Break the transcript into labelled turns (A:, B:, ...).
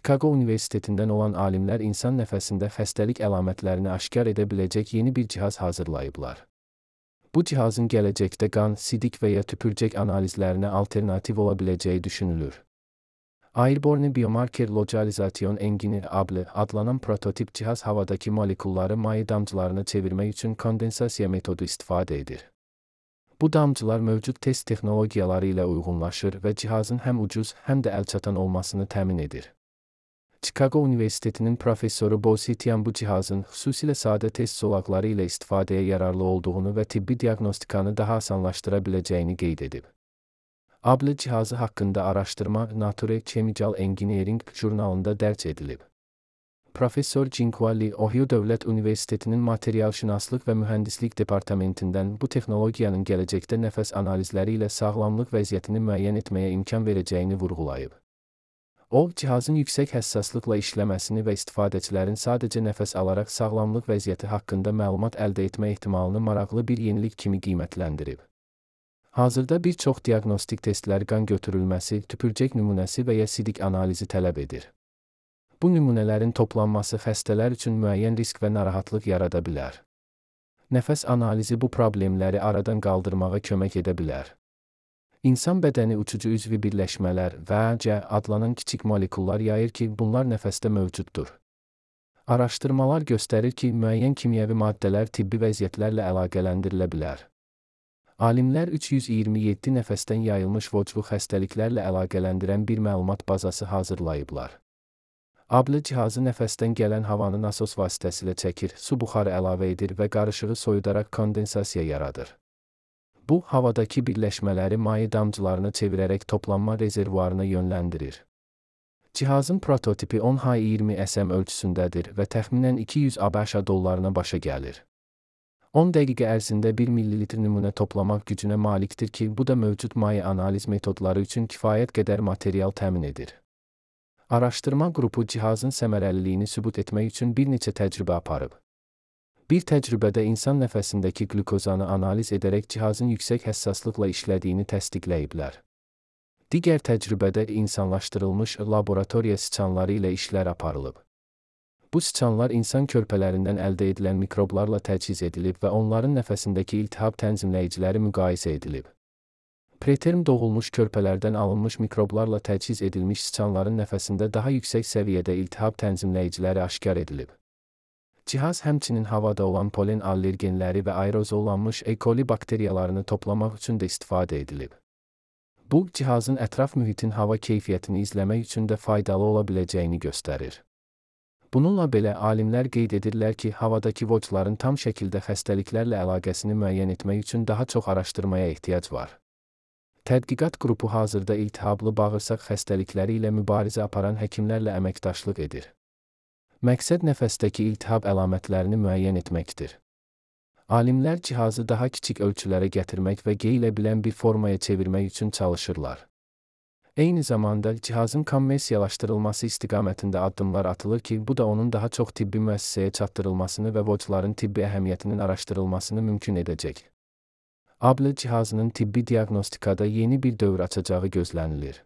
A: Chicago Universitetinden olan alimlər insan nəfəsində xəstəlik əlamətlərini aşkar edə biləcək yeni bir cihaz hazırlayıblar. Bu cihazın gələcəkdə qan, sidik və ya tüpürcək analizlərinə alternativ ola biləcəyi düşünülür. Airborne Biomarker Localization Engine adlanan prototip cihaz havadakı molekulları maye damcılarına çevirmək üçün kondensasiya metodu istifadə edir. Bu damcılar mövcud test texnologiyaları ilə uyğunlaşır və cihazın həm ucuz, həm də əlçatan olmasını təmin edir. Chicago Universitetinin professoru Bo Sitian bu cihazın xüsusilə sadə test zolaqları ilə istifadəyə yararlı olduğunu və tibbi diaqnostikanı daha asanlaşdıra biləcəyini qeyd edib. ABLE cihazı haqqında araşdırma Nature Chemical Engineering jurnalında dərc edilib. Professor Jinghua Li, Ohio Dövlət Universitetinin Materialşünaslıq və Mühəndislik Departamentindən bu texnologiyanın gələcəkdə nəfəs analizləri ilə sağlamlıq vəziyyətini müəyyən etməyə imkan verəcəyini vurğulayıb. O, cihazın yüksək həssaslıqla işləməsini və istifadəçilərin sadəcə nəfəs alaraq sağlamlıq vəziyyəti haqqında məlumat əldə etmə ehtimalını maraqlı bir yenilik kimi qiymətləndirib. Hazırda bir çox diaqnostik testlər qan götürülməsi, tüpürcək nümunəsi və ya sidik analizi tələb edir. Bu nümunələrin toplanması xəstələr üçün müəyyən risk və narahatlıq yarada bilər. Nəfəs analizi bu problemləri aradan qaldırmağa kömək edə bilər. İnsan bədəni uçucu üzvi birləşmələr VC adlanan kiçik molekullar yayır ki, bunlar nəfəsdə mövcuddur. Araşdırmalar göstərir ki, müəyyən kimyəvi maddələr tibbi vəziyyətlərlə əlaqələndirilə bilər. Alimlər 327 nəfəsdən yayılmış voclu xəstəliklərlə əlaqələndirən bir məlumat bazası hazırlayıblar. ABLE cihazı nəfəsdən gələn havanı nasos vasitəsilə çəkir, su buxarı əlavə edir və qarışığı soyudaraq kondensasiya yaradır. Bu, havadakı birləşmələri maye damcılarına çevirərək toplanma rezervuarına yönləndirir. Cihazın prototipi 10H20 SM ölçüsündədir və təxminən 200 ABŞ dollarına başa gəlir. 10 dəqiqə ərzində 1 ml nümunə toplamaq gücünə malikdir ki, bu da mövcud maye analiz metodları üçün kifayət qədər material təmin edir. Araşdırma qrupu cihazın səmərəliliyini sübut etmək üçün bir neçə təcrübə aparıb. Bir təcrübədə insan nəfəsindəki qlükozanı analiz edərək cihazın yüksək həssaslıqla işlədiyini təsdiqləyiblər. Digər təcrübədə insanlaşdırılmış laboratoriya siçanları ilə işlər aparılıb. Bu siçanlar insan körpələrindən əldə edilən mikroblarla təchiz edilib və onların nəfəsindəki iltihab tənzimləyiciləri müqayisə edilib. Preterm doğulmuş körpələrdən alınmış mikroblarla təchiz edilmiş siçanların nəfəsində daha yüksək səviyyədə iltihab tənzimləyiciləri aşkar edilib. Cihaz həmçinin havada olan polen allergenləri və aerozollanmış E. coli bakteriyalarını toplamaq üçün də istifadə edilib. Bu, cihazın ətraf mühitin hava keyfiyyətini izləmək üçün də faydalı ola biləcəyini göstərir. Bununla belə alimlər qeyd edirlər ki, havadakı vocların tam şəkildə xəstəliklərlə əlaqəsini müəyyən etmək üçün daha çox araşdırmaya ehtiyac var. Tədqiqat qrupu hazırda iltihablı bağırsaq xəstəlikləri ilə mübarizə aparan həkimlərlə əməkdaşlıq edir. Məqsəd nəfəsdəki iltihab əlamətlərini müəyyən etməkdir. Alimlər cihazı daha kiçik ölçülərə gətirmək və geyilə bilən bir formaya çevirmək üçün çalışırlar. Eyni zamanda cihazın kommersiyalaşdırılması istiqamətində addımlar atılır ki, bu da onun daha çox tibbi müəssisəyə çatdırılmasını və vocların tibbi əhəmiyyətinin araşdırılmasını mümkün edəcək. ABLE cihazının tibbi diaqnostikada yeni bir dövr açacağı gözlənilir.